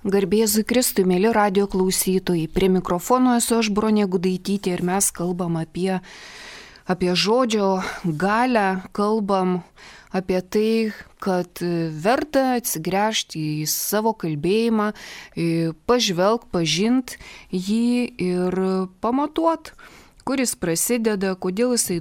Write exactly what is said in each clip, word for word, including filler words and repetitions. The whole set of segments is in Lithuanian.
Garbėzui Kristui, mėly radio klausytojai, prie mikrofono esu aš Bronė Gudaitytė ir mes kalbam apie, apie žodžio galę, kalbam apie tai, kad verta atsigręžti į savo kalbėjimą, pažvelg, pažint jį ir pamatuot, kur jis prasideda, kodėl jisai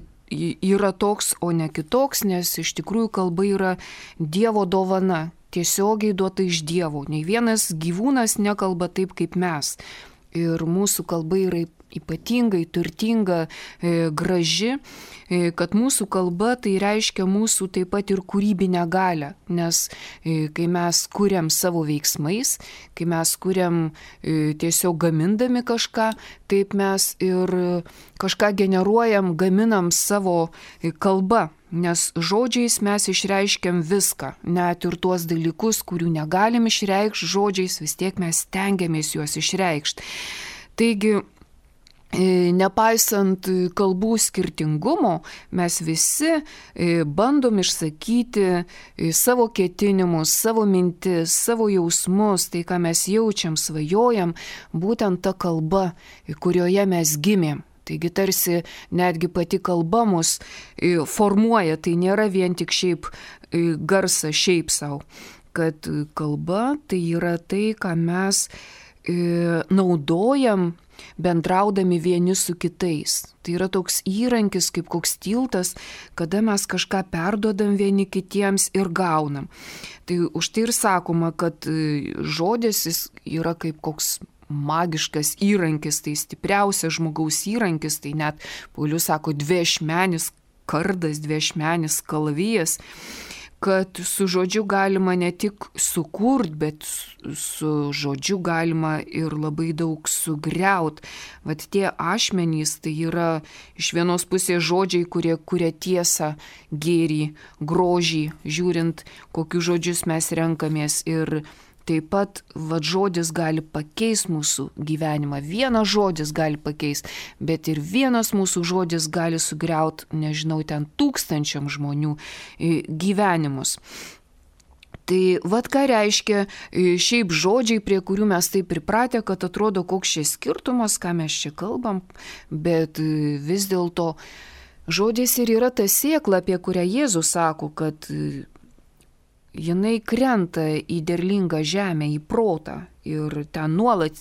yra toks, o ne kitoks, nes iš tikrųjų kalba yra Dievo dovana. Tiesiogiai duota iš Dievo. Nei vienas gyvūnas nekalba taip kaip mes. Ir mūsų kalba yra ypatingai turtinga, e, graži, e, kad mūsų kalba tai reiškia mūsų taip pat ir kūrybinę galią. Nes e, kai mes kuriam savo veiksmais, kai mes kuriam e, tiesiog gamindami kažką, taip mes ir kažką generuojam, gaminam savo e, kalbą. Nes žodžiais mes išreiškiam viską, net ir tuos dalykus, kurių negalim išreikšti žodžiais, vis tiek mes stengiamės juos išreikšti. Taigi, nepaisant kalbų skirtingumo, mes visi bandom išsakyti savo ketinimus, savo mintis, savo jausmus, tai ką mes jaučiam, svajojam, būtent ta kalba, kurioje mes gimėm. Taigi tarsi netgi pati kalba mus formuoja, tai nėra vien tik šiaip garsas, šiaip savo, kad kalba tai yra tai, ką mes naudojam bendraudami vieni su kitais. Tai yra toks įrankis, kaip koks tiltas, kada mes kažką perduodam vieni kitiems ir gaunam. Tai už tai ir sakoma, kad žodis jis yra kaip koks magiškas įrankis, tai stipriausias žmogaus įrankis, tai net Paulius sako dviašmenis kardas, dviašmenis kalavijas, kad su žodžiu galima ne tik sukurt, bet su žodžiu galima ir labai daug sugriaut. Vat tie ašmenys, tai yra iš vienos pusės žodžiai, kurie kuria tiesą, gėrį, grožį, žiūrint, kokius žodžius mes renkamės ir taip pat vat, žodis gali pakeisti mūsų gyvenimą. Vienas žodis gali pakeisti, bet ir vienas mūsų žodis gali sugriauti, nežinau, ten tūkstančiam žmonių gyvenimus. Tai vat ką reiškia šiaip žodžiai, prie kurių mes taip pripratę, kad atrodo koks čia skirtumas, ką mes čia kalbam, bet vis dėlto žodis ir yra ta sėkla, apie kurią Jėzus sako, kad jinai krenta į derlingą žemę, į protą ir ten nuolat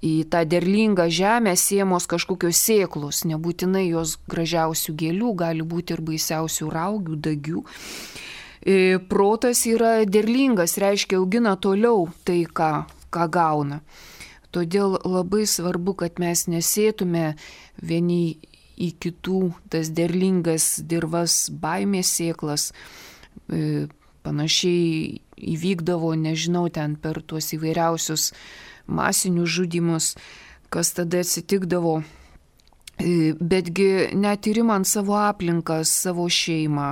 į tą derlingą žemę siemos kažkokios sėklos, nebūtinai jos gražiausių gėlių, gali būti ir baisiausių raugių, dagių. Protas yra derlingas, reiškia augina toliau tai, ką, ką gauna. Todėl labai svarbu, kad mes nesėtume vieni į kitų tas derlingas dirvas baimės sėklas, panašiai įvykdavo, nežinau, ten per tuos įvairiausius masinius žudymus, kas tada atsitikdavo. Betgi net ir imant savo aplinką, savo šeimą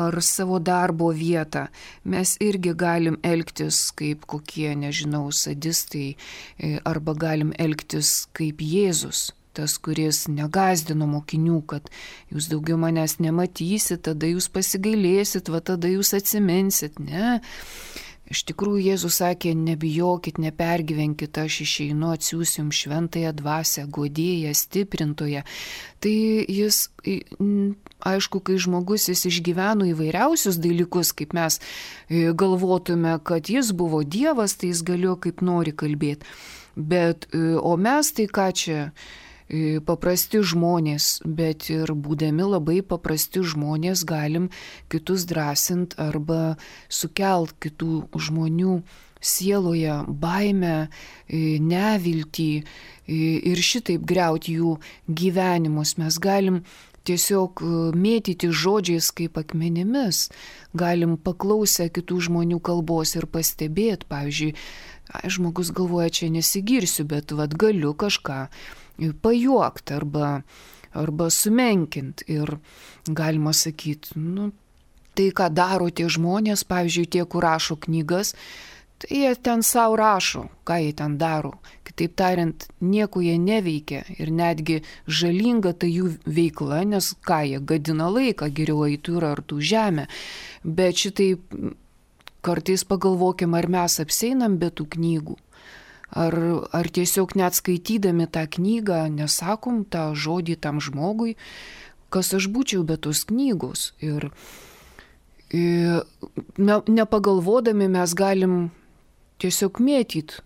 ar savo darbo vietą, mes irgi galim elgtis kaip kokie, nežinau, sadistai arba galim elgtis kaip Jėzus. Tas, kuris negazdino mokinių, kad jūs daugiau manęs nematysit, tada jūs pasigailėsit, va tada jūs atsiminsit. Ne. Iš tikrųjų, Jėzus sakė, nebijokit, nepergyvenkit, aš išeinu, atsiųsiu jums šventąją dvasią, guodėją, stiprintoją. Tai jis, aišku, kai žmogus jis išgyveno įvairiausius dalykus, kaip mes galvotume, kad jis buvo Dievas, tai jis galėjo kaip nori kalbėti. Bet, o mes tai ką čia? Paprasti žmonės, bet ir būdami labai paprasti žmonės galim kitus drąsint arba sukelt kitų žmonių sieloje baimę, neviltį ir šitaip griauti jų gyvenimus. Mes galim tiesiog mėtyti žodžiais kaip akmenimis, galim paklausę kitų žmonių kalbos ir pastebėti, pavyzdžiui, žmogus galvoja, čia nesigirsiu, bet vat galiu kažką pajuokti arba, arba sumenkinti ir galima sakyti, nu, tai ką daro tie žmonės, pavyzdžiui, tie, kur rašo knygas, tai jie ten savo rašo, ką jie ten daro. Kitaip tariant, nieko jie neveikia ir netgi žalinga tai jų veikla, nes ką jie gadina laiką, geriau eitų ir artų žemę. Bet šitai kartais pagalvokim, ar mes apseinam be tų knygų. ar, ar tiesiog net skaitydami tą knygą nesakom tą žodį tam žmogui, kas aš būčiau be tos knygos. Ir, ir nepagalvodami mes galim tiesiog mėtyti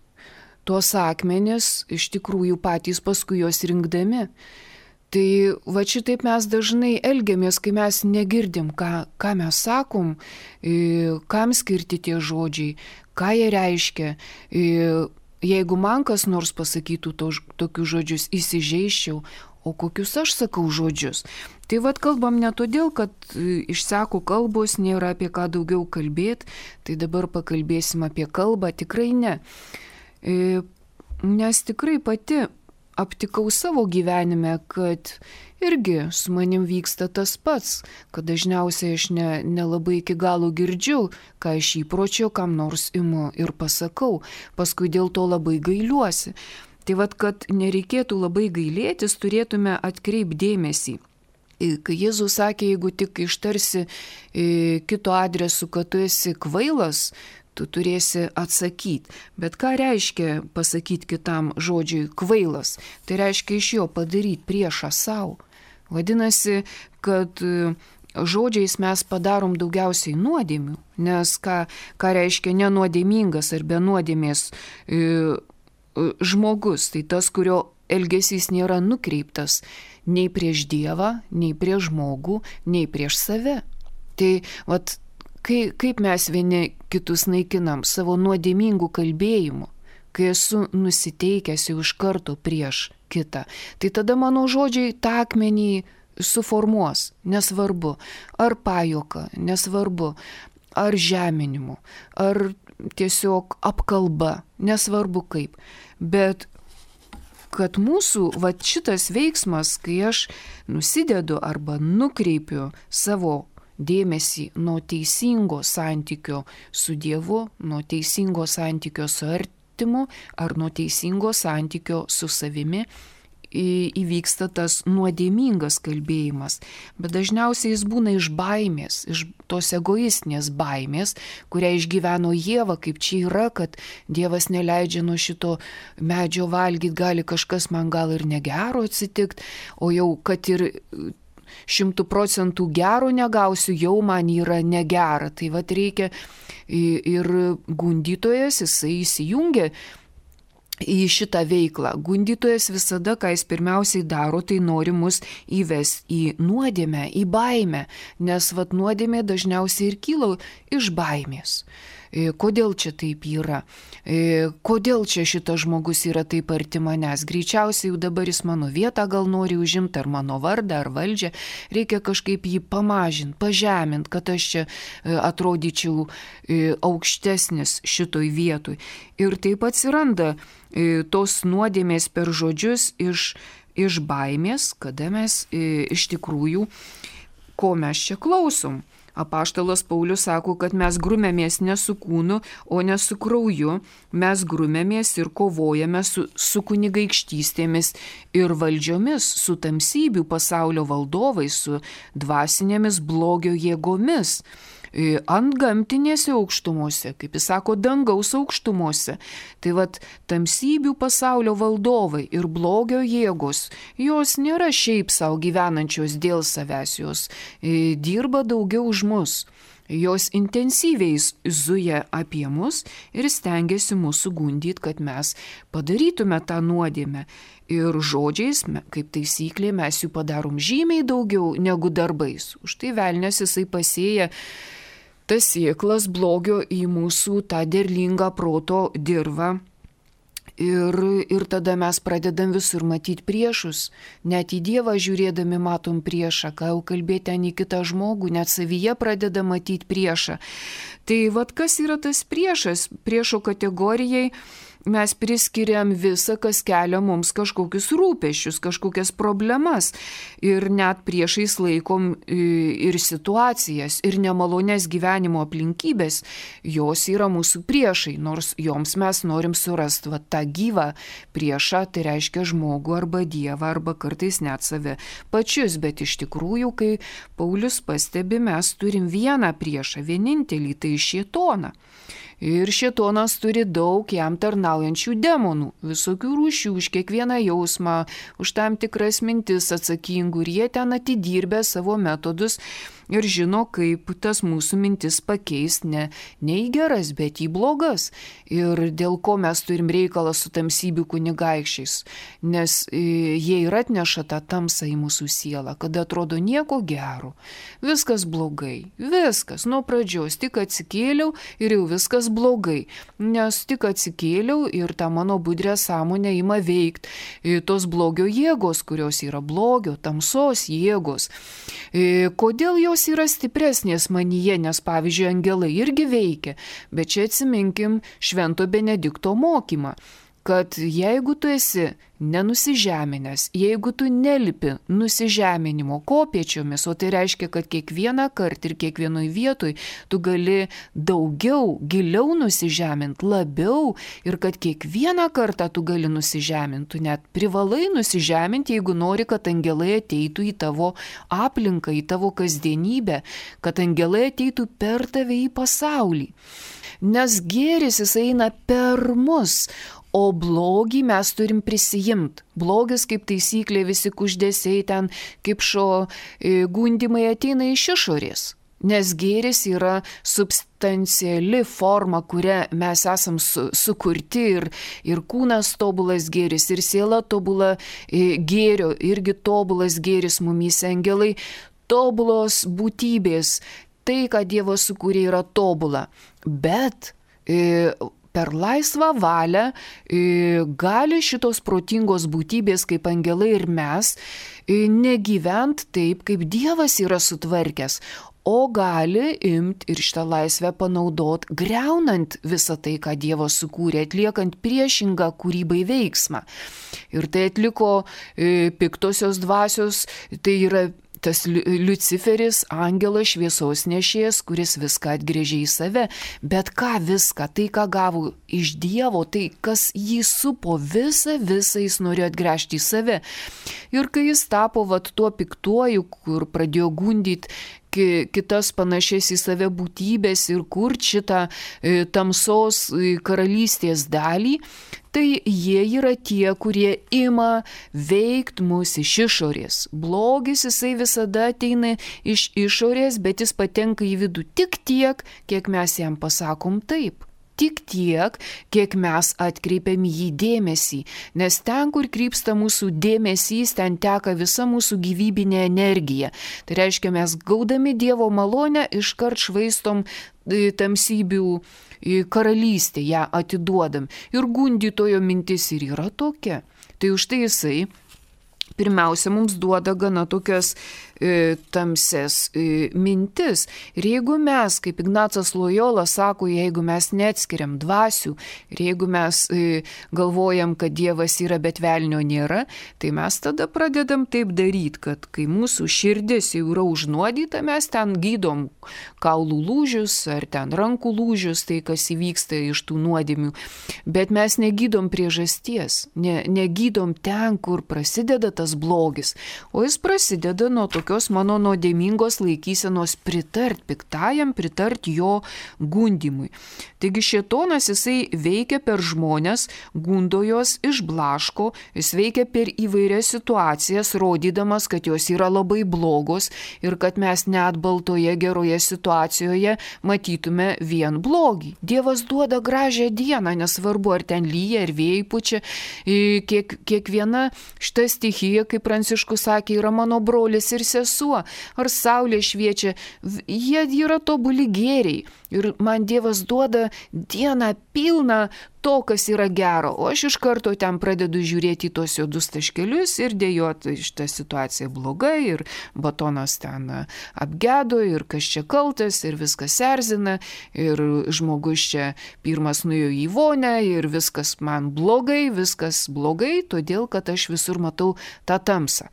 tuos akmenis, iš tikrųjų patys paskui juos rinkdami. Tai va šitaip mes dažnai elgiamės, kai mes negirdim, ką, ką mes sakom, kam skirti tie žodžiai, ką jie reiškia. Jeigu man kas nors pasakytų to, tokius žodžius, įsižeiščiau, o kokius aš sakau žodžius. Tai vad kalbam ne todėl, kad išseko kalbos, nėra apie ką daugiau kalbėti, tai dabar pakalbėsim apie kalbą, tikrai ne. Nes tikrai pati aptikau savo gyvenime, kad irgi su manim vyksta tas pats, kad dažniausiai aš ne, nelabai iki galo girdžiu, ką iš įpročio kam nors imu ir pasakau, paskui dėl to labai gailiuosi. Tai vad, kad nereikėtų labai gailėtis, turėtume atkreipti dėmesį. Kai Jėzus sakė, jeigu tik ištarsi kito adresu, kad tu esi kvailas, tu turėsi atsakyti. Bet ką reiškia pasakyti kitam žodžiui kvailas? Tai reiškia iš jo padaryti priešą savo. Vadinasi, kad žodžiais mes padarom daugiausiai nuodėmių, nes ką, ką reiškia nenuodėmingas ar be nuodėmės e, žmogus, tai tas, kurio elgesys nėra nukreiptas nei prieš Dievą, nei prieš žmogų, nei prieš save. Tai vat, Kai, kaip mes vieni kitus naikinam savo nuodėmingų kalbėjimų, kai esu nusiteikęs jau iš karto prieš kitą, tai tada mano žodžiai tą akmenį suformuos, nesvarbu, ar pajuoka, nesvarbu, ar žeminimu, ar tiesiog apkalba, nesvarbu kaip. Bet kad mūsų vat šitas veiksmas, kai aš nusidedu arba nukreipiu savo dėmesį nuo teisingo santykio su Dievu, nuo teisingo santykio su artimu ar nuo teisingo santykio su savimi, įvyksta tas nuodėmingas kalbėjimas. Bet dažniausiai jis būna iš baimės, iš tos egoistinės baimės, kurią išgyveno Ieva, kaip čia yra, kad Dievas neleidžia nuo šito medžio valgyti, gali kažkas man gal ir negero atsitikti, o jau kad ir šimtų procentų gero negausiu, jau man yra negera. Tai vat reikia ir gundytojas, jisai įsijungia į šitą veiklą. Gundytojas visada, ką jis pirmiausiai daro, tai nori mus įvesti į nuodėmę, į baimę, nes vat nuodėmė dažniausiai ir kyla iš baimės. Kodėl čia taip yra? Kodėl čia šitas žmogus yra taip arti manęs? Greičiausiai jau dabar jis mano vietą gal nori užimti, ar mano vardą, ar valdžią. Reikia kažkaip jį pamažinti, pažeminti, kad aš čia atrodyčiau aukštesnis šitoj vietoj. Ir taip atsiranda tos nuodėmės per žodžius iš, iš baimės, kada mes iš tikrųjų, ko mes čia klausom. Apaštalas Paulius sako, kad mes grumėmės ne su kūnu, o ne su krauju, mes grumėmės ir kovojame su, su kunigaikštystėmis ir valdžiomis, su tamsybių pasaulio valdovais, su dvasinėmis blogio jėgomis. Ant gamtinėse aukštumose, kaip jis sako, dangaus aukštumose. Tai vat tamsybių pasaulio valdovai ir blogio jėgos, jos nėra šiaip savo gyvenančios dėl savęs, jos dirba daugiau už mus. Jos intensyviai zuja apie mus ir stengiasi mūsų gundyti, kad mes padarytume tą nuodėmę. Ir žodžiais, kaip taisyklė, mes jų padarom žymiai daugiau negu darbais. Už tai velnias jisai pasėja tas sėklas blogio į mūsų tą derlingą proto dirvą. Ir, ir tada mes pradedam visur matyti priešus. Net į Dievą žiūrėdami matom priešą, ką jau kalbėti ten į kitą žmogų, net savyje pradeda matyti priešą. Tai vat kas yra tas priešas? Priešo kategorijai mes priskiriam visą, kas kelia mums kažkokius rūpesčius, kažkokias problemas. Ir net priešais laikom ir situacijas, ir nemalonės gyvenimo aplinkybės. Jos yra mūsų priešai, nors joms mes norim surasti va, tą gyvą priešą, tai reiškia žmogų arba Dievą, arba kartais net save pačius. Bet iš tikrųjų, kai Paulius pastebi, mes turim vieną priešą, vienintelį, tai šėtoną. Ir šėtonas turi daug jam tarnaujančių demonų, visokių rūšių, už kiekvieną jausmą, už tam tikras mintis atsakingų, ir jie ten atidirbę savo metodus ir žino, kaip tas mūsų mintis pakeist ne, ne į geras, bet į blogas. Ir dėl ko mes turim reikalą su tamsybių kunigaikščiais, nes jie ir atneša tą tamsą į mūsų sielą, kada atrodo nieko gero, viskas blogai, viskas, nuo pradžios tik atsikėliau ir jau viskas blogai, nes tik atsikėliau ir tą mano budrę sąmonę ima veikti tos blogio jėgos, kurios yra blogio, tamsos jėgos. Kodėl jos yra stipresnės manyje, nes pavyzdžiui angelai irgi veikia, bet čia atsiminkim Švento Benedikto mokymą, kad jeigu tu esi nenusižeminęs, jeigu tu nelipi nusižeminimo kopėčiomis, o tai reiškia, kad kiekvieną kartą ir kiekvienoj vietoj tu gali daugiau, giliau nusižeminti, labiau, ir kad kiekvieną kartą tu gali nusižeminti, tu net privalai nusižeminti, jeigu nori, kad angelai ateitų į tavo aplinką, į tavo kasdienybę, kad angelai ateitų per tave į pasaulį. Nes gėris jis eina per mus, o blogį mes turim prisijimti. Blogis kaip taisyklė, visi kuždesiai ten, kaip šo gundimai ateina iš išorės. Nes gėris yra substanciali forma, kuria mes esam su, sukurti ir, ir kūnas tobulas gėris, ir siela tobula gėrio, irgi tobulas gėris mumyse, angelai tobulos būtybės. Tai, ką Dievas sukūrė, yra tobula. Bet e, per laisvą valią e, gali šitos protingos būtybės kaip angelai ir mes e, negyvent taip, kaip Dievas yra sutvarkęs, o gali imti ir šitą laisvę panaudot, greunant visą tai, ką Dievas sukūrė, atliekant priešingą kūrybai veiksmą. Ir tai atliko e, piktosios dvasios, tai yra tas Liuciferis, angelas šviesos nešėjas, kuris viską atgrėžė į save, bet ką viską, tai ką gavo iš Dievo, tai kas jį supo, visą, visą jis norėjo atgręžti į save. Ir kai jis tapo vat tuo piktuoju, kur pradėjo gundyti kitas panašias į save būtybės ir kur šitą e, tamsos e, karalystės dalį, tai jie yra tie, kurie ima veikt mus iš išorės. Blogis jisai visada ateina iš išorės, bet jis patenka į vidų tik tiek, kiek mes jam pasakom taip. Tik tiek, kiek mes atkreipiam jį dėmesį, nes ten, kur krypsta mūsų dėmesys, ten teka visa mūsų gyvybinė energija. Tai reiškia, mes gaudami Dievo malonę iškart švaistom tamsybių karalystę, ją atiduodam. Ir gundytojo mintis ir yra tokia. Tai už tai jisai pirmiausia mums duoda gana tokias e, tamses e, mintis. Ir jeigu mes, kaip Ignacas Lojola sako, jeigu mes neatskiriam dvasių, ir jeigu mes e, galvojam, kad Dievas yra, bet velnio nėra, tai mes tada pradedam taip daryti, kad kai mūsų širdis jau yra užnuodyta, mes ten gydom kaulų lūžius ar ten rankų lūžius, tai kas įvyksta iš tų nuodėmių. Bet mes negydom priežasties, ne, negydom ten, kur prasideda tas blogis, o jis prasideda nuo tokios mano nuodėmingos laikysenos pritart piktajam, pritart jo gundimui. Taigi šėtonas jisai veikia per žmonės, gundo jos, išblaško, jis veikia per įvairias situacijas, rodydamas, kad jos yra labai blogos ir kad mes net baltoje geroje situacijoje matytume vien blogį. Dievas duoda gražią dieną, nesvarbu ar ten lyja, ar vėjai pučia, kiek, kiekviena šita stichija, kaip Pranciškus sakė, yra mano brolis ir sesuo, ar saulė šviečia, jie yra tobuli gėriai. Ir man Dievas duoda dieną pilną to, kas yra gero, o aš iš karto ten pradedu žiūrėti į tos juodus taškelius ir dėjot, šitą situaciją blogai, ir batonas ten apgedo, ir kas čia kaltas, ir viskas erzina, ir žmogus čia pirmas nuėjo į vonę, ir viskas man blogai, viskas blogai, todėl, kad aš visur matau tą tamsą.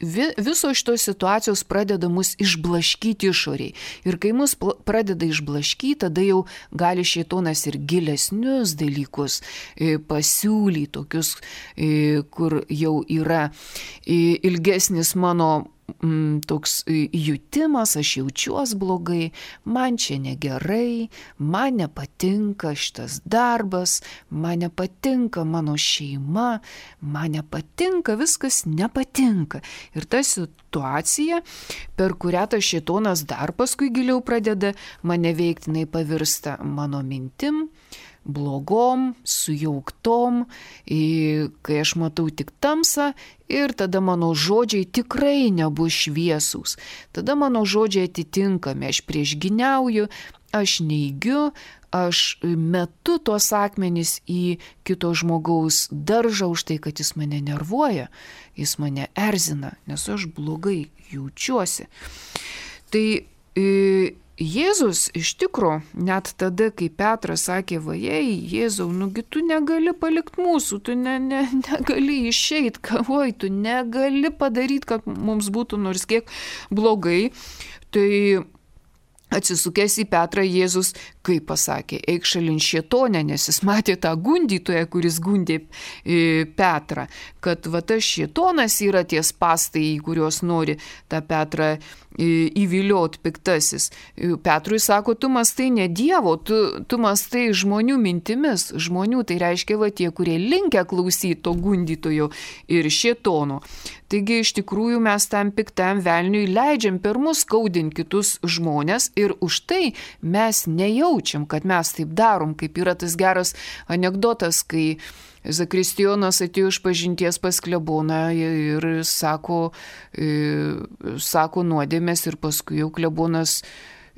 Visos šitos situacijos pradeda mus išblaškyti išoriai. Ir kai mus pradeda išblaškyti, tada jau gali šėtonas ir gilesnius dalykus pasiūlyti, tokius, kur jau yra ilgesnis mano mm, toks jutimas, aš jaučiuos blogai, man čia negerai, man nepatinka šitas darbas, man nepatinka mano šeima, man nepatinka, viskas nepatinka. Ir ta situacija, per kurią tas šėtonas dar paskui giliau pradeda mane veikti, jinai pavirsta mano mintim, blogom, sujauktom, kai aš matau tik tamsą ir tada mano žodžiai tikrai nebus šviesūs. Tada mano žodžiai atitinkami, aš priešginiauju, aš neigiu, aš metu tuos akmenis į kito žmogaus daržą už tai, kad jis mane nervuoja, jis mane erzina, nes aš blogai jaučiuosi. Tai e, Jėzus iš tikro, net tada, kai Petras sakė, vajei, Jėzau, nugi tu negali palikti mūsų, tu ne, ne, negali išeiti, kavoj, tu negali padaryti, kad mums būtų nors kiek blogai, tai atsisukęs į Petrą Jėzus, kaip pasakė, eik šalin šėtonę, nes jis matė tą gundytoją, kuris gundė Petrą, kad va tas šėtonas yra tie spąstai, į kuriuos nori tą Petrą įviliot piktasis. Petrui sako, tu mastai ne Dievo, tu, tu mastai žmonių mintimis, žmonių, tai reiškia va tie, kurie linkę klausyti to gundytojo ir šėtono. Taigi iš tikrųjų mes tam piktam velniui leidžiam per mus skaudinti kitus žmonės ir už tai mes nejaučiam, kad mes taip darom, kaip yra tas geras anekdotas, kai Zakristijonas atėjo iš pažinties pas kleboną ir sako, sako nuodėmės ir paskui jau klebonas,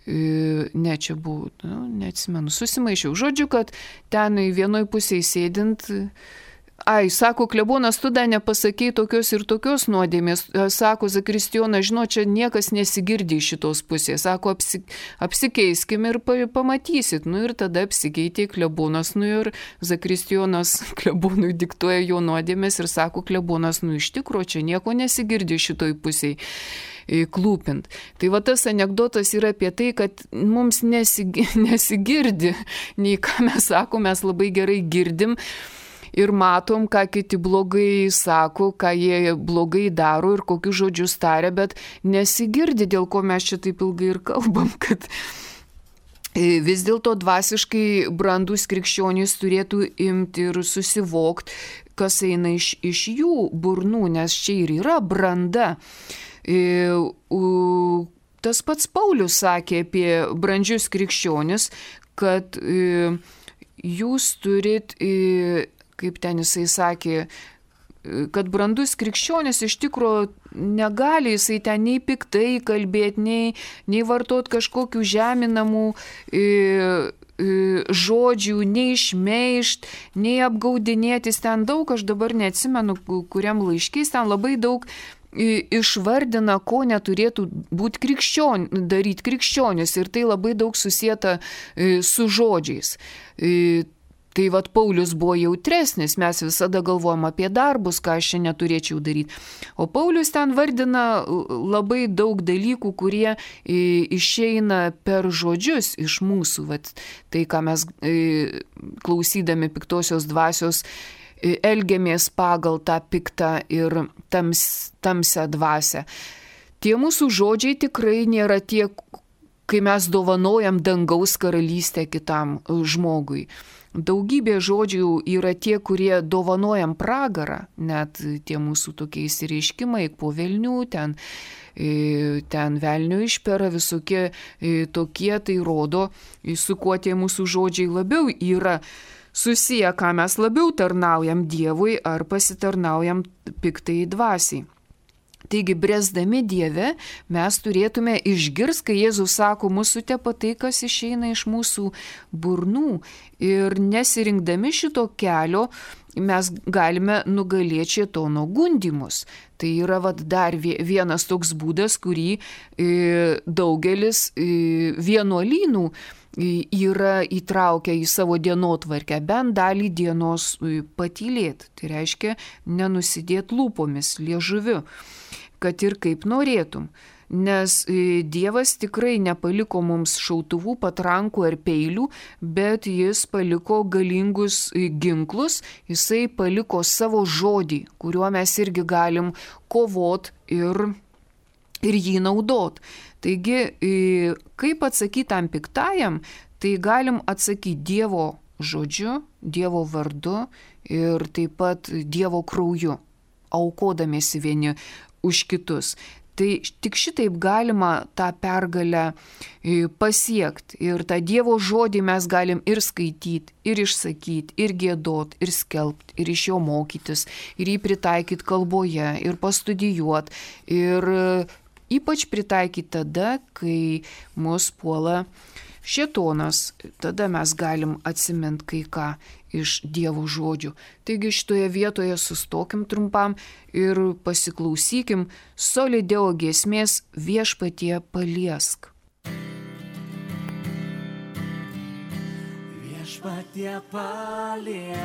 ne čia buvo, nu, neatsimenu, susimaišiau. Žodžiu, kad ten vienoj pusėje sėdint, ai, sako klebonas, tu dar nepasakei tokios ir tokios nuodėmės, sako Zakristijonas, žinau, čia niekas nesigirdi iš šitos pusės, sako, apsi, apsikeiskim ir pamatysit, nu ir tada apsikeitė klebonas, nu ir Zakristijonas klebonui diktuoja jo nuodėmės ir sako klebonas, nu iš tikro, čia nieko nesigirdi šitoj pusėje klūpint. Tai va tas anekdotas yra apie tai, kad mums nesig, nesigirdi, nei ką mes sakom, mes labai gerai girdim, ir matom, ką kiti blogai sako, ką jie blogai daro ir kokius žodžius taria, bet nesigirdi, dėl ko mes čia taip ilgai ir kalbam, kad vis dėlto dvasiškai brandus krikščionys turėtų imti ir susivokti, kas eina iš, iš jų burnų, nes čia ir yra branda. Tas pats Paulius sakė apie brandžius krikščionis, kad jūs turit, kaip ten jisai sakė, kad brandus krikščionis iš tikro negali jisai ten nei piktai kalbėti, nei, nei vartot kažkokių žeminamų e, e, žodžių, nei šmeižt, nei apgaudinėtis. Ten daug, aš dabar neatsimenu, kuriam laiškais, ten labai daug išvardina, ko neturėtų būti krikščion, daryti krikščionis ir tai labai daug susieta su žodžiais. Tai vat Paulius buvo jautresnis, mes visada galvojam apie darbus, ką aš čia neturėčiau daryti. O Paulius ten vardina labai daug dalykų, kurie išeina per žodžius iš mūsų. Vat tai, ką mes klausydami piktosios dvasios elgiamės pagal tą piktą ir tams, tamsią dvasią. Tie mūsų žodžiai tikrai nėra tie, kai mes dovanojam dangaus karalystę kitam žmogui. Daugybė žodžių yra tie, kurie dovanojam pragarą, net tie mūsų tokie įsireiškimai, po velnių, ten, ten velnių išpera, visokie tokie, tai rodo, su kuo tie mūsų žodžiai labiau yra susiję, ką mes labiau tarnaujam Dievui ar pasitarnaujam piktai dvasiai. Taigi, bręsdami Dieve, mes turėtume išgirsti, kai Jėzus sako, mūsų tepa tai, kas išeina iš mūsų burnų. Ir nesirinkdami šito kelio, mes galime nugalėti šėtono gundymus. Tai yra vat, dar vienas toks būdas, kurį daugelis vienuolynų yra įtraukę į savo dienotvarkę, bent dalį dienos patylėti. Tai reiškia nenusidėti lūpomis, liežuviu, kad ir kaip norėtum. Nes Dievas tikrai nepaliko mums šautuvų, patrankų ar peilių, bet jis paliko galingus ginklus, jisai paliko savo žodį, kuriuo mes irgi galim kovot ir ir jį naudot. Taigi, kaip atsakyti tam piktajam, tai galim atsakyti Dievo žodžiu, Dievo vardu ir taip pat Dievo krauju, aukodamiesi vieni už kitus. Tai tik šitaip galima tą pergalę pasiekti. Ir tą Dievo žodį mes galim ir skaityti, ir išsakyti, ir giedot, ir skelbti, ir iš jo mokytis, ir jį pritaikyti kalboje, ir pastudijuoti, ir ypač pritaikyti tada, kai mus puola šėtonas. Tada mes galim atsiminti kai ką iš Dievo žodžių. Taigi šitoje vietoje sustokim trumpam ir pasiklausykim Solideo giesmės Viešpatie paliesk. Viešpatie paliesk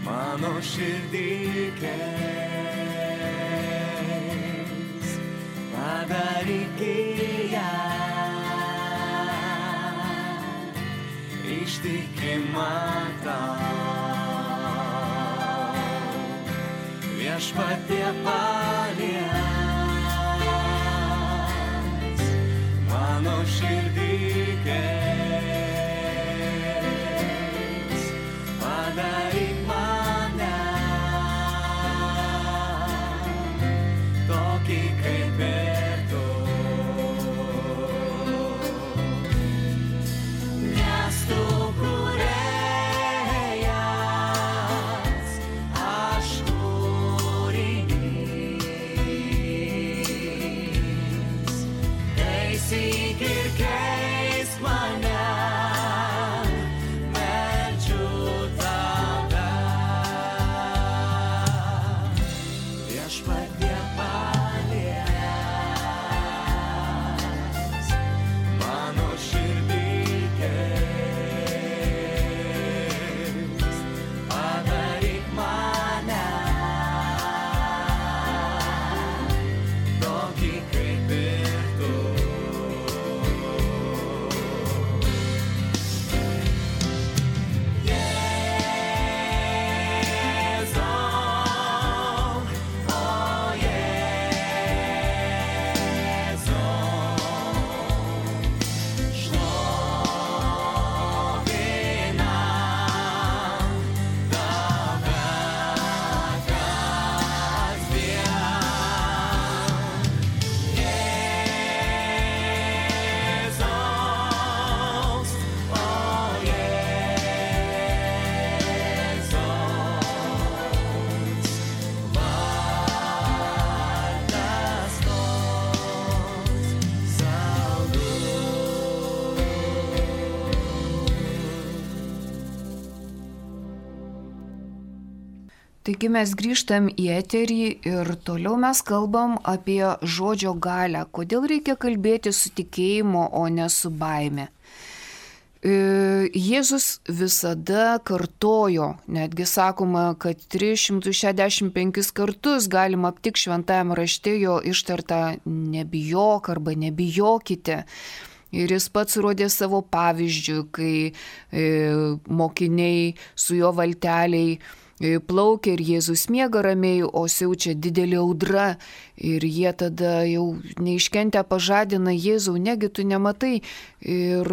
mano širdį keis, padaryk ją ištikimą tau. Viešpatie paliesk mano širdį keis, padaryk mane tokį kaip ir tu. Nes tu kūrėjas, aš kūrinys, taisyk ir keisk mane, meldžiu tave. Viešpatie paliesk mano širdį keis, padaryk mane tokį kaip ir tu. Taigi mes grįžtam į eterį ir toliau mes kalbam apie žodžio galią. Kodėl reikia kalbėti su tikėjimu, o ne su baime? Jėzus visada kartojo, netgi sakoma, kad tris šimtus šešiasdešimt penkis kartus galima aptikti šventajame rašte jo ištartą nebijok arba nebijokite. Ir jis pats rodė savo pavyzdžių, kai e, mokiniai su jo valteliai plaukia ir Jėzus miega ramiai, o siaučia didelė audra ir jie tada jau neiškentę pažadina Jėzau, negi tu nematai. Ir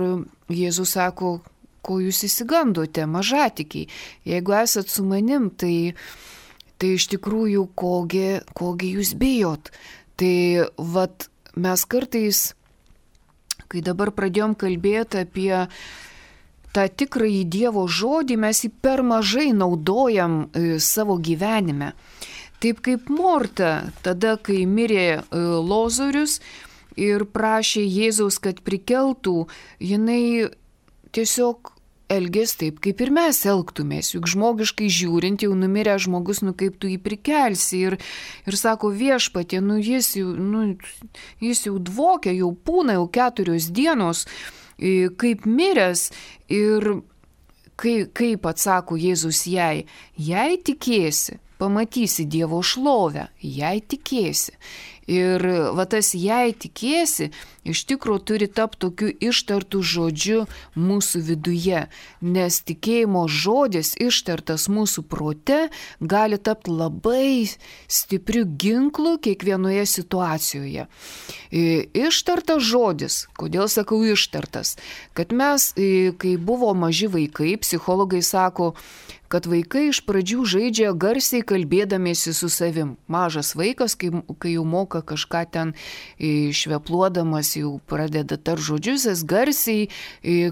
Jėzus sako, ko jūs įsigandote, mažatikiai, jeigu esat su manim, tai, tai iš tikrųjų kogi, kogi jūs bijot. Tai vat mes kartais, kai dabar pradėjom kalbėti apie tą tikrąjį Dievo žodį, mes jį per mažai naudojam e, savo gyvenime. Taip kaip Morta, tada, kai mirė e, Lozorius ir prašė Jėzaus, kad prikeltų, jinai tiesiog elgės taip, kaip ir mes elgtumės. Juk žmogiškai žiūrint, jau numirė žmogus, nu kaip tu jį prikelsi. Ir, ir sako, Viešpatie, nu jis jau, nu, jis jau dvokia, jau pūna, jau keturios dienos, kaip miręs. Ir kai, kaip atsako Jėzus jai, jei tikėsi, pamatysi Dievo šlovę, jei tikėsi. Ir va tas jei tikėsi, iš tikrųjų turi tapti tokiu ištartų žodžiu mūsų viduje, nes tikėjimo žodis ištartas mūsų prote gali tapti labai stipriu ginklu kiekvienoje situacijoje. Ištartas žodis, kodėl sakau ištartas, kad mes, kai buvo maži vaikai, psichologai sako, kad vaikai iš pradžių žaidžia garsiai kalbėdamiesi su savim. Mažas vaikas, kai, kai jau moka kažką ten švepluodamas, jau pradeda tar žodžius, jis garsiai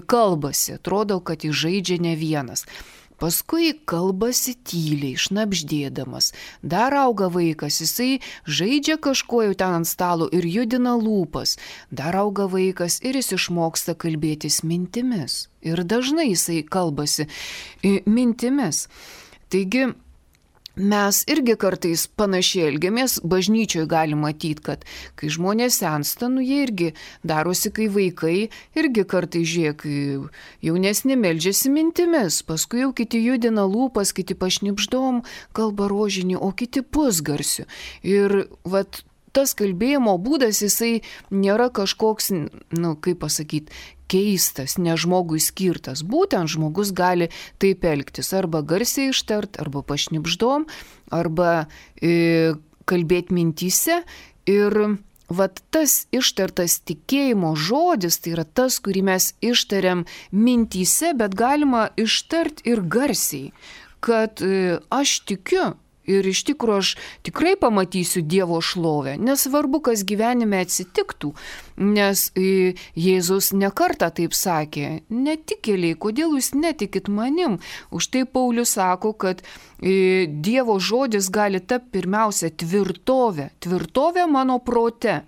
kalbasi. Atrodo, kad jis žaidžia ne vienas. Paskui kalbasi tyliai, šnabždėdamas. Dar auga vaikas, jisai žaidžia kažkuo jau ten ant stalo ir judina lūpas. Dar auga vaikas ir jis išmoksta kalbėtis mintimis. Ir dažnai jisai kalbasi mintimis. Taigi, mes irgi kartais panašiai elgiamės, bažnyčioje galima matyti, kad kai žmonės sensta, nu jie irgi darosi, kai vaikai, irgi kartais žiūrėk, jaunesni meldžiasi mintimis, paskui jau kiti judina lūpas, kiti pašnipždom, kalba rožinį, o kiti pusgarsiu. Ir vat tas kalbėjimo būdas, jisai nėra kažkoks, nu kaip pasakyti, keistas, ne žmogui skirtas. Būtent žmogus gali taip elgtis, arba garsiai ištart, arba pašnipždom, arba e, kalbėti mintyse. Ir vat tas ištartas tikėjimo žodis, tai yra tas, kurį mes ištariam mintyse, bet galima ištart ir garsiai, kad e, aš tikiu. Ir iš tikrųjų aš tikrai pamatysiu Dievo šlovę, nesvarbu, kas gyvenime atsitiktų, nes Jėzus nekartą taip sakė, netikėliai, kodėl jūs netikit manim? Už tai Paulius sako, kad Dievo žodis gali tapti pirmiausia tvirtovė, tvirtovė mano prote.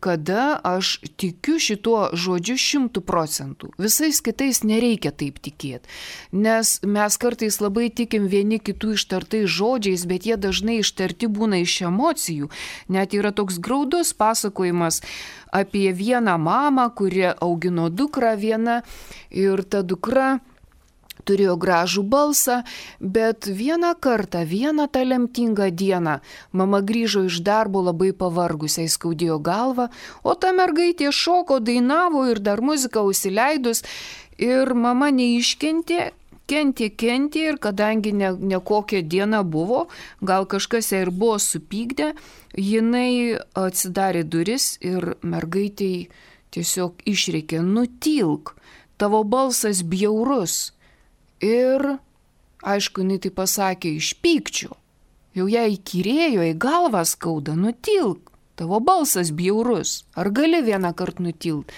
Kada aš tikiu šituo žodžiu šimtų procentų. Visais kitais nereikia taip tikėti, nes mes kartais labai tikim vieni kitų ištartais žodžiais, bet jie dažnai ištarti būna iš emocijų. Net yra toks graudus pasakojimas apie vieną mamą, kuri augino dukrą vieną ir ta dukra turėjo gražų balsą, bet vieną kartą, vieną tą lemtingą dieną mama grįžo iš darbo labai pavargusiai, skaudėjo galvą, o ta mergaitė šoko, dainavo ir dar muziką užsileidus ir mama neiškentė, kentė, kentė ir kadangi ne, ne kokia diena buvo, gal kažkas ją ir buvo supykdę, jinai atsidarė duris ir mergaitei tiesiog išrėkė, nutilk, tavo balsas bjaurus. Ir, aišku, jinai tai pasakė iš pykčio. Jau ją įkyrėjo, į galvą skauda, nutilk, tavo balsas bjaurus, ar gali vieną kartą nutilt?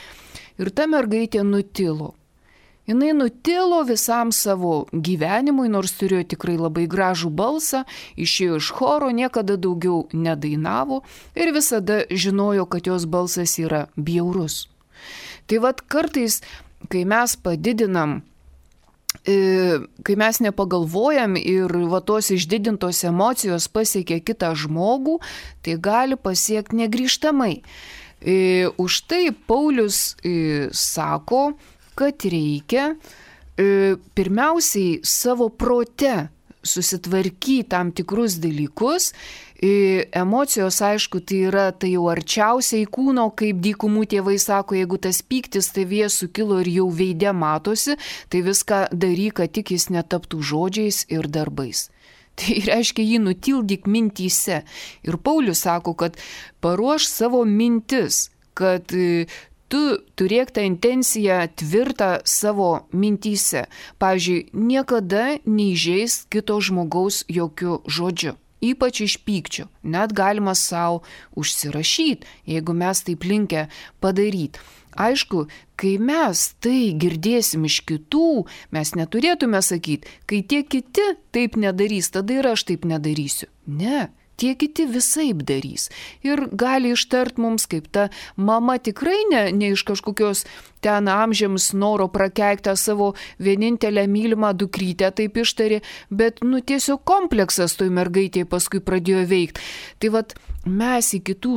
Ir ta mergaitė nutilo. Jinai nutilo visam savo gyvenimui, nors turėjo tikrai labai gražų balsą, išėjo iš choro, niekada daugiau nedainavo ir visada žinojo, kad jos balsas yra bjaurus. Tai vat kartais, kai mes padidinam, kai mes nepagalvojam ir va tos išdidintos emocijos pasiekia kitą žmogų, tai gali pasiekti negrįžtamai. Už tai Paulius sako, kad reikia pirmiausiai savo prote susitvarkyti tam tikrus dalykus. Emocijos, aišku, tai yra tai jau arčiausiai kūno, kaip dykumų tėvai sako, jeigu tas pyktis tavyje sukilo ir jau veide matosi, tai viską daryk, kad tik jis netaptų žodžiais ir darbais. Tai reiškia, jį nutildyk mintyse. Ir Paulius sako, kad paruoš savo mintis, kad tu turėk tą intenciją tvirtą savo mintyse. Pavyzdžiui, niekada neįžeis kito žmogaus jokių žodžių. Ypač iš pykčio. Net galima savo užsirašyti, jeigu mes taip linkę padaryti. Aišku, kai mes tai girdėsim iš kitų, mes neturėtume sakyti, kai tie kiti taip nedarys, tada ir aš taip nedarysiu. Ne. Tie kiti visaip darys. Ir gali ištart mums, kaip ta mama tikrai ne, ne iš kažkokios ten amžiams noro prakeiktą savo vienintelę mylimą dukrytę taip ištarė, bet nu tiesiog kompleksas toj mergaitėje paskui pradėjo veikti. Tai vat mes į kitų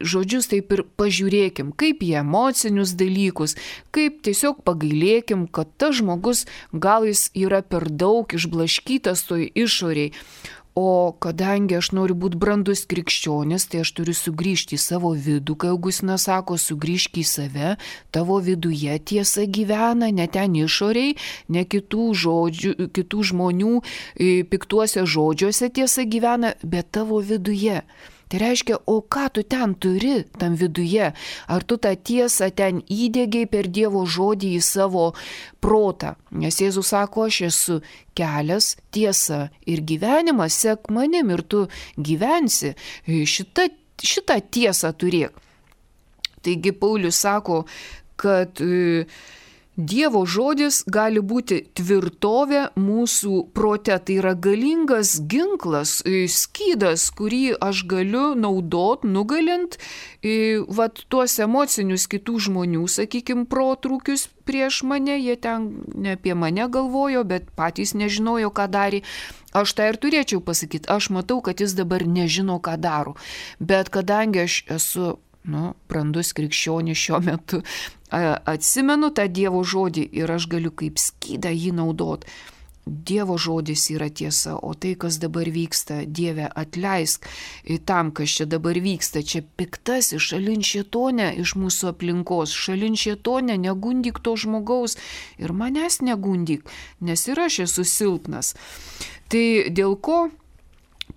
žodžius taip ir pažiūrėkim, kaip į emocinius dalykus, kaip tiesiog pagailėkim, kad tas žmogus gal jis yra per daug išblaškytas toj išoriai. O kadangi aš noriu būti brandus krikščionis, tai aš turiu sugrįžti į savo vidų, kai Augustinas sako, sugrįžk į save, tavo viduje tiesa gyvena, ne ten išoriai, ne kitų, žodžių, kitų žmonių piktuose žodžiuose tiesa gyvena, bet tavo viduje. Tai reiškia, o ką tu ten turi, tam viduje? Ar tu tą tiesą ten įdėgiai per Dievo žodį į savo protą? Nes Jėzus sako, aš esu kelias, tiesa ir gyvenimas, sek manim ir tu gyvensi. Šitą, šitą tiesą turėk. Taigi Paulius sako, kad Dievo žodis gali būti tvirtovė mūsų prote, tai yra galingas ginklas, skydas, kurį aš galiu naudot, nugalint vat, tuos emocinius kitų žmonių, sakykime, protrūkius prieš mane, jie ten ne apie mane galvojo, bet patys nežinojo, ką darė. Aš tą ir turėčiau pasakyti, aš matau, kad jis dabar nežino, ką daro, bet kadangi aš esu nu, brandus krikščionis šiuo metu, atsimenu tą Dievo žodį ir aš galiu kaip skydą jį naudot. Dievo žodis yra tiesa, o tai, kas dabar vyksta, Dieve atleisk tam, kas čia dabar vyksta, čia piktasis, šalin šėtonę iš mūsų aplinkos, šalin šėtonę, negundyk to žmogaus ir manęs negundyk, nes ir aš esu silpnas. Tai dėl ko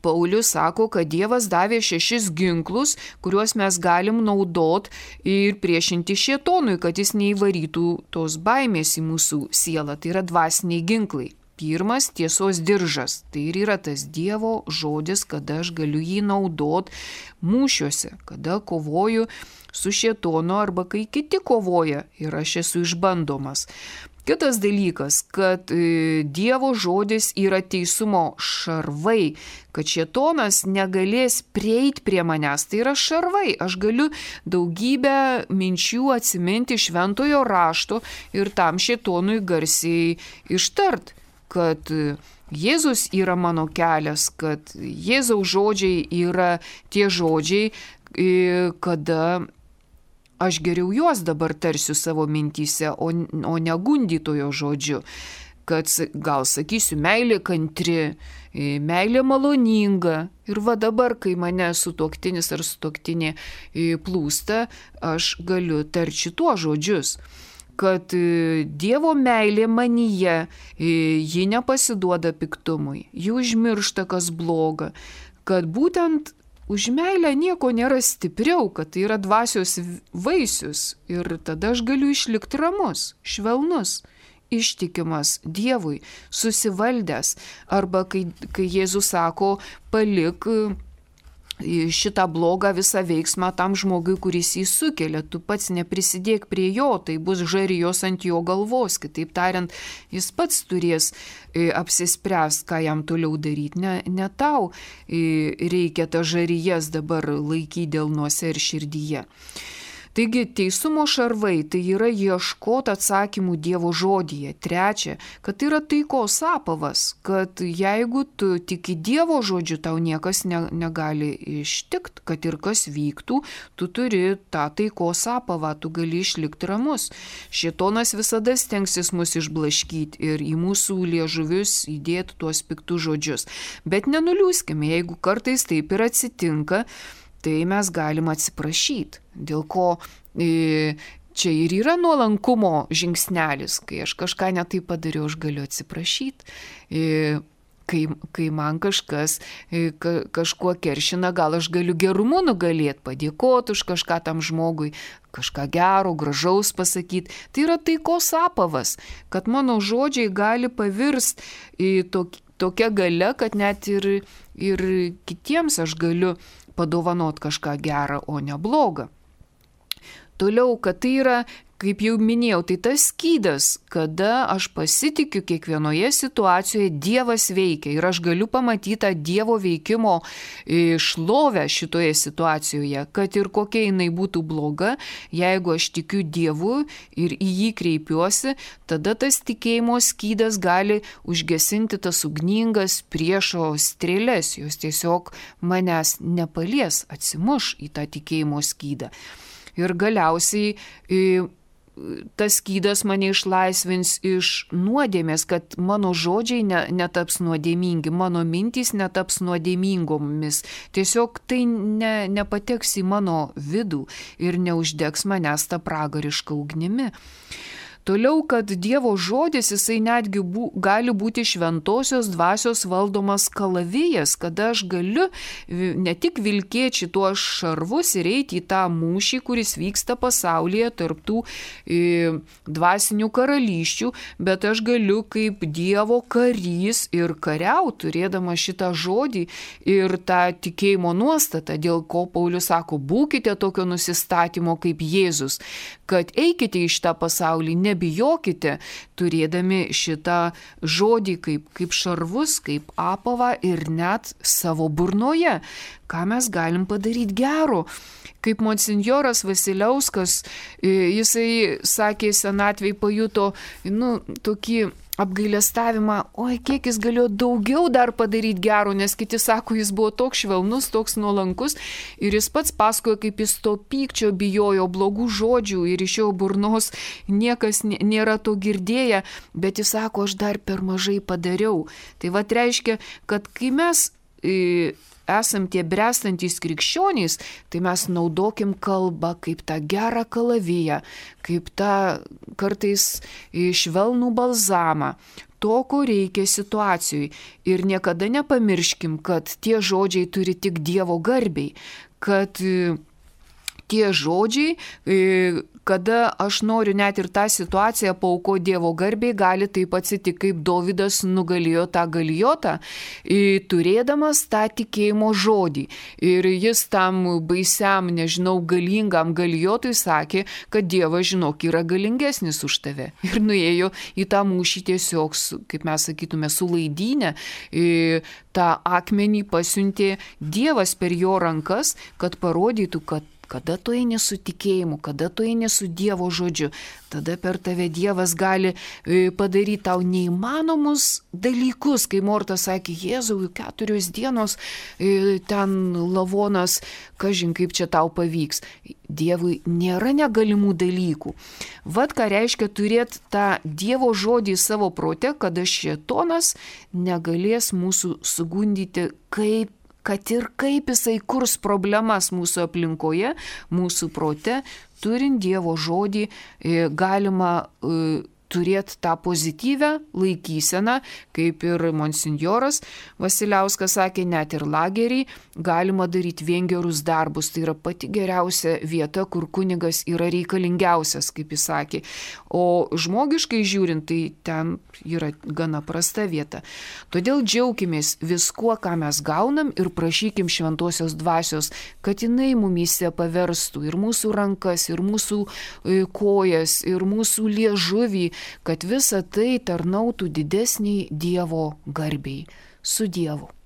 Paulius sako, kad Dievas davė šešis ginklus, kuriuos mes galim naudot ir priešinti šėtonui, kad jis neįvarytų tos baimės į mūsų sielą. Tai yra dvasiniai ginklai. Pirmas - tiesos diržas. Tai ir yra tas Dievo žodis, kada aš galiu jį naudot mūšiuose, kada kovoju su šėtonu arba kai kiti kovoja ir aš esu išbandomas. Kitas dalykas, kad Dievo žodis yra teisumo šarvai, kad šėtonas negalės prieiti prie manęs. Tai yra šarvai. Aš galiu daugybę minčių atsiminti šventojo rašto ir tam šėtonui garsiai ištart, kad Jėzus yra mano kelias, kad Jėzaus žodžiai yra tie žodžiai, kada aš geriau juos dabar tarsiu savo mintyse, o, o ne gundytojo žodžiu, kad gal sakysiu meilė kantri, meilė maloninga. Ir va dabar, kai mane sutuoktinis ar sutuoktinė plūsta, aš galiu tarti tuos žodžius, kad Dievo meilė manyje, ji nepasiduoda piktumui, ji užmiršta, kas bloga, kad būtent už meilę nieko nėra stipriau, kad tai yra dvasios vaisius ir tada aš galiu išlikti ramus, švelnus, ištikimas Dievui, susivaldęs. Arba kai, kai Jėzus sako, palik šitą blogą visą veiksmą tam žmogui, kuris jį sukelia, tu pats neprisidėk prie jo, tai bus žarijos ant jo galvos, kitaip tariant, jis pats turės apsispręst, ką jam toliau daryti, ne, ne tau reikia tą žarijas dabar laikyti delnuose ir širdyje. Taigi teisumo šarvai tai yra ieškoti atsakymų Dievo žodyje. Trečia, kad tai yra taikos apavas, kad jeigu tu tiki Dievo žodžiu, tau niekas ne, negali ištikti, kad ir kas vyktų, tu turi tą taikos apavą, tu gali išlikti ramus. Šėtonas visada stengsis mus išblaškyti ir į mūsų liežuvius įdėti tuos piktus žodžius. Bet nenuliūskime, jeigu kartais taip ir atsitinka, tai mes galim atsiprašyti, dėl ko e, čia ir yra nuolankumo žingsnelis, kai aš kažką netai padariau, aš galiu atsiprašyti, e, kai, kai man kažkas e, ka, kažkuo keršina, gal aš galiu gerumu nugalėti, padėkoti už kažką tam žmogui, kažką gero, gražaus pasakyti. Tai yra taikos apavas, kad mano žodžiai gali pavirsti į tokį tokia galia, kad net ir, ir kitiems aš galiu padovanot kažką gerą, o ne blogą. Toliau, kad tai yra, kaip jau minėjau, tai tas skydas, kada aš pasitikiu kiekvienoje situacijoje Dievas veikia ir aš galiu pamatyti tą Dievo veikimo šlovę šitoje situacijoje, kad ir kokia jinai būtų bloga, jeigu aš tikiu Dievu ir į jį kreipiuosi, tada tas tikėjimo skydas gali užgesinti tas ugningas priešo strėles, jos tiesiog manęs nepalies, atsimuš į tą tikėjimo skydą. Ir galiausiai tas skydas mane išlaisvins iš nuodėmės, kad mano žodžiai ne, netaps nuodėmingi, mano mintys netaps nuodėmingomis. Tiesiog tai ne, nepateks į mano vidų ir neuždegs manęs tą pragarišką ugnimi. Toliau, kad Dievo žodis, jisai netgi bū, gali būti šventosios dvasios valdomas kalavijas, kada aš galiu ne tik vilkėti šituos šarvus ir eiti į tą mūšį, kuris vyksta pasaulyje tarptų e, dvasinių karalysčių, bet aš galiu kaip Dievo karys ir kariauti, turėdama šitą žodį ir tą tikėjimo nuostatą, dėl ko Paulius sako, būkite tokio nusistatymo kaip Jėzus, kad eikite į šitą pasaulį, nebijokite, turėdami šitą žodį kaip, kaip šarvus, kaip apavą ir net savo burnoje. Ką mes galim padaryti gero? Kaip monsinjoras Vasiliauskas, jisai sakė, senatvėj pajuto, nu, tokį apgailestavimą, oi, kiek jis galėjo daugiau dar padaryti gero, nes kiti sako, jis buvo toks švelnus, toks nuolankus ir jis pats pasakojo, kaip jis to pykčio bijojo, blogų žodžių ir iš jo burnos niekas nėra to girdėję, bet jis sako, aš dar per mažai padariau. Tai va reiškia, kad kai mes e, esam tie bręstantys krikščionys, tai mes naudokim kalbą kaip tą gerą kalaviją, kaip tą kartais švelnų balzamą, to, ko reikia situacijai. Ir niekada nepamirškim, kad tie žodžiai turi tik Dievo garbiai, kad tie žodžiai, kada aš noriu net ir tą situaciją pauko Dievo garbiai, gali taip atsitikti, kaip Dovydas nugalėjo tą Galijotą, turėdamas tą tikėjimo žodį. Ir jis tam baisiam, nežinau, galingam Galijotui sakė, kad Dievas, žinok, yra galingesnis už tave. Ir nuėjo į tą mūšį tiesiog, kaip mes sakytume, su laidynė, tą akmenį pasiuntė Dievas per jo rankas, kad parodytų, kad kada tu eini su tikėjimu, kada tu eini su Dievo žodžiu, tada per tave Dievas gali padaryti tau neįmanomus dalykus, kai Morta sakė, Jėzau, keturios dienos ten lavonas, kažin kaip čia tau pavyks. Dievui nėra negalimų dalykų. Vat ką reiškia turėti tą Dievo žodį savo prote, kada šėtonas negalės mūsų sugundyti, kaip kad ir kaip jisai kurs problemas mūsų aplinkoje, mūsų prote, turint Dievo žodį, galima turėti tą pozityvę laikyseną, kaip ir monsinjoras Vasiliauskas sakė, net ir lagerį galima daryti vien gerus darbus. Tai yra pati geriausia vieta, kur kunigas yra reikalingiausias, kaip jis sakė. O žmogiškai žiūrint, tai ten yra gana prasta vieta. Todėl džiaukimės viskuo, ką mes gaunam ir prašykim šventosios dvasios, kad jinai mumyse paverstų ir mūsų rankas, ir mūsų kojas, ir mūsų liežuvį, kad visa tai tarnautų didesniai Dievo garbiai. Su Dievu.